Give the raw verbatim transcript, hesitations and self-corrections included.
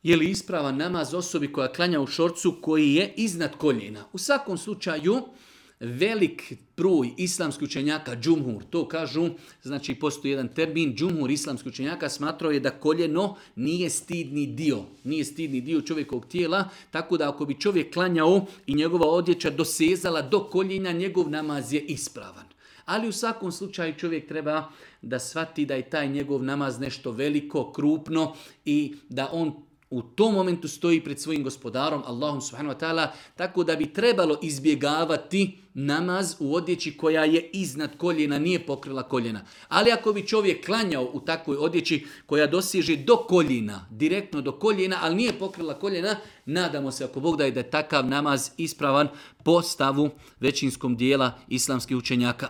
Je li ispravan namaz osobi koja klanja u šorcu koji je iznad koljena? U svakom slučaju, velik broj islamskih učenjaka, džumhur, to kažu, znači postoji jedan termin, džumhur islamskih učenjaka smatrao je da koljeno nije stidni dio, nije stidni dio čovjekovog tijela, tako da ako bi čovjek klanjao i njegova odjeća dosezala do koljena, njegov namaz je ispravan. Ali u svakom slučaju čovjek treba da shvati da je taj njegov namaz nešto veliko, krupno i da on u tom momentu stoji pred svojim gospodarom, Allahom subhanahu wa ta'ala, tako da bi trebalo izbjegavati namaz u odjeći koja je iznad koljena, nije pokrila koljena. Ali ako bi čovjek klanjao u takvoj odjeći koja dosiže do koljena, direktno do koljena, ali nije pokrila koljena, nadamo se ako Bog da je da je takav namaz ispravan po stavu većinskom dijela islamskih učenjaka.